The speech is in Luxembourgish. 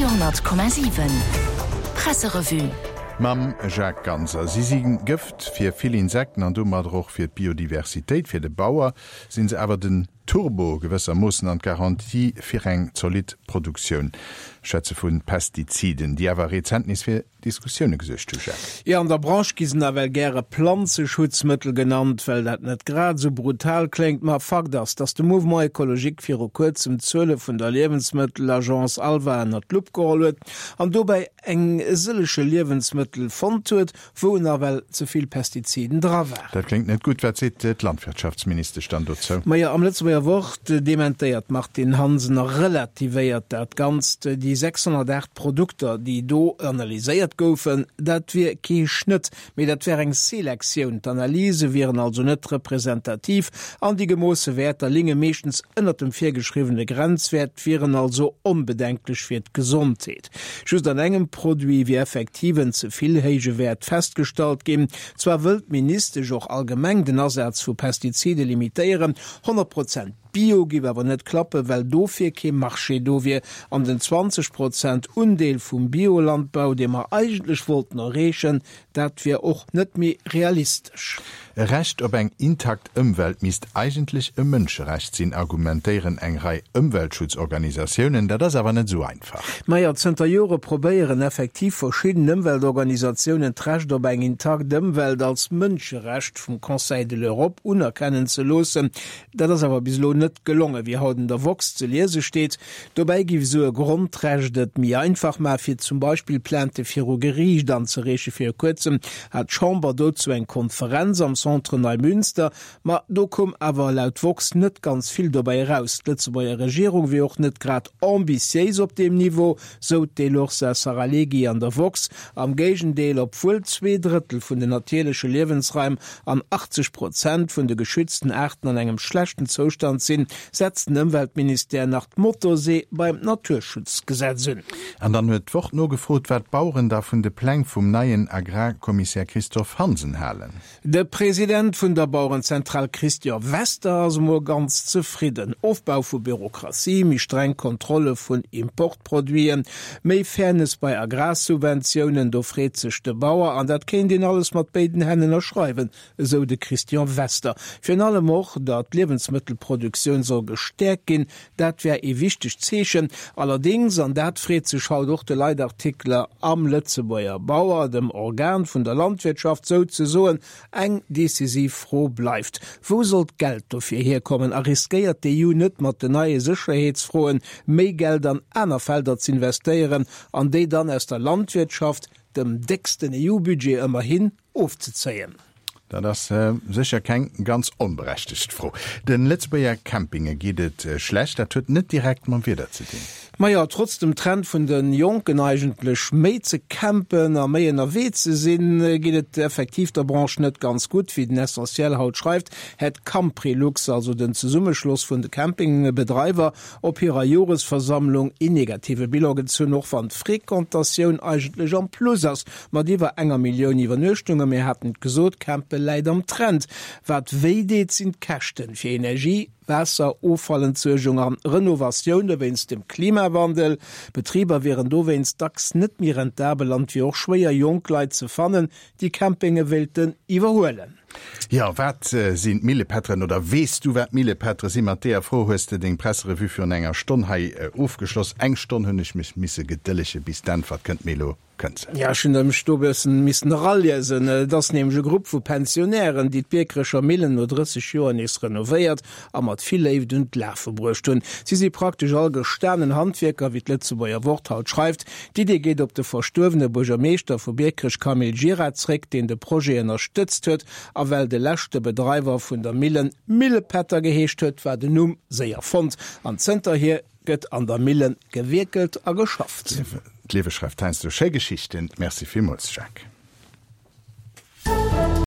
Radio 10,7 Presserevue. Mam Jacques Ganser. Si si Gëft fir vill Insekten an domadder och fir d'Biodiversitéit. Fir de Bauer sinn se awer den Turbo gewëssermoossen an d'Garantie fir eng zolidd Produktioun. Ech schwätze vu Pestiziden, déi awer rezent nees fir Diskussioune gesuergt hu, Jacques. Jo, an der Branche gi se nawell gäre Planzeschutzmëttel genannt, well dat net grad esou brutal kléngt. Ma Fakt ass, datt de Mouvement Ecologique viru kuerzem d'Zuele vun der Liewensmëttelagence ALVA ënnert d'Lupp geholl huet an dobäi eng sëllege Liewensmëttel fonnt huet, wou nawell ze vill Pestiziden dra waren. Dat kléngt net gutt. Wat seet d'Landwirtschaftsministesch dann dozou? Majo, am Lëtzebuerger Wort dementéiert d'Martine Hansen a relativéiert dat Ganzt. Déi 608 Produkter, déi do analyséiert goufen, dat wier kee Schnëtt, mee dat wär eng Selektioun. D'Analyse wieren also net representativ an déi gemoosse Wäerter linge meeschtens ënnert dem virgeschriwwene Grenzwäert, wieren also onbedenklech fir d'Gesondheet. Just an engem Produit wier effektiv en ze vill héije Wäert festgestallt ginn. Zwar wëll d'Ministesch och allgemeng den Asaz vu Pestizide limitéieren, 100 Prozent Bio giff awer net klappen, well dofir kee Marché do wier an den 20 Prozent Undeel vum Biolandbau, dee mer eigentlech wollten erreechen, Dat wier och net méi realistesch. E Recht op eng intakt Ëmwelt misst eigentlech e Mënscherecht sinn, argumentéieren eng Rei Ëmweltschutzorganisatiounen. Dat ass awer net esou einfach. Majo, zënter Jore probéieren effektiv verschidden Ëmweltorganisatiounen d'Recht op eng intakt Ëmwelt als Mënscherecht vum Conseil de l'Europe unerkennen ze loossen. Dat ass awer bis elo net gelongen, wéi haut an der woxx ze liese steet. Dobäi géif esou e Grondrecht et méi einfach maachen, fir zum Beispill Plainte viru Geriicht anzereechen. Viru kuerzem hat d'Chamber dozou eng Konferenz am Centre Neimünster, ma do koum awer laut woxx net ganz vill dobäi eraus. D'Lëtzebuerger Regierung wier och net grad ambitiéis op deem Niveau, sou d'Elorza Saralegui an der woxx. Am Géigendeel, obwuel 2/3 vun den natierleche Liewensraim an 80 Prozent vun de geschützten Aarten an engem schlechten Zoustand sinn, setzt den Ëmweltministère nach d'Motorsee beim Naturschutzgesetz un. An dann huet d'Wort nogefrot, wat d'Baueren da vun de Pläng vum neien Agrarkommissär Christophe Hansen halen. De President vun der Bauerenzentral Christian Wester ass emol ganz zefridden. Ofbau vu Bürokratie, méi streng Kontrolle vun Importproduiten, méi Fairness bei Agrarsubventiounen, do freet sech de Bauer. An dat kéint een alles mat béiden Hänn ënnerschreiwen, esou de Christian Wester. Virun allem och, datt d'Liewensmëttelproduktioun soll gestäerkt ginn, dat wär ee wichtegt Zeechen. Allerdéngs, an dat freet sech haut och de Leitartikler am Lëtzebuerger Bauer, dem Organ vun der Landwirtschaft souzesoen, eng decisiv Fro bleift, Wou soll d'Geld dofir hierkommen a riskéiert d'EU net mat den neie Sécherheetsfroen méi Geld an aner Felder z'investéieren an déi dann aus der Landwirtschaft, dem décksten EU-Budget ëmmerhin, ofzezéien? Dat ass sécher keng ganz onberechtegt Fro. De Lëtzebuerger Campinge geet et schlecht. Dat huet net direkt mam Wieder ze dinn. Majo, trotz dem Trend vun de Jonken eigentlech méi ze campen a méi ënnerwee ze sinn, geet et effektiv der Branche net ganz gutt. Wéi den Essentiel haut schreift, hätt Camprilux, also den Zesummeschloss vun de Campingbedreiwer, op hirer Joresversammlung een negative Bilan gezunn, och wann d'Frequentatioun eigentlech am Plus ass. Mat iwwer enger Millioun Iwwernuechtunge, mir haten et gesot, Campe läit am Trend. Wat wéi deet, sinn d'Käschten fir Energie, Waasser, Offallentsuergung an Renovatioune wéinst dem Klimawandel. Betriber wieren dowéinst dacks net méi rentabel an et wier och schwéier, jonk Leit ze fannen, déi Campinge wéilten iwwerhuelen. Jo, wat sinn d'Millepätteren oder weess du wat Millepättere sinn? Mat deeër Fro hues de deng Presserevue virun enger Stonn hei ofgeschloss. Eng Stonn hunn ech mech misse gedëllege bis d'Äntwert kënnt, mee elo kënnt se. Jo, ech hunn mech do e bëssen missen eraliesen. Et ass nämlech e Grupp vu Pensionären, déi d'Biekerecher Millen no 30 Joer nees renovéiert a mat vill Léift un d'Lafe bruecht hunn. Si si praktesch all gestanen Handwierker, wéi d'Lëtzebuerger Wort haut schreift. D'Idee geet op de verstuerwene Buergermeeschter vu Biekerech Camille Gira zréck, deen de Projet ënnerstëtzt huet. A well de leschte Bedreiwer vun der Millen Millepätter geheescht huet, war den Numm séier fonnt an zënterhier Gëtt an der Millen gewierkelt a geschafft. D'Liewe schreift heiansdo schéi Geschichten. Merci villmools, Jacques.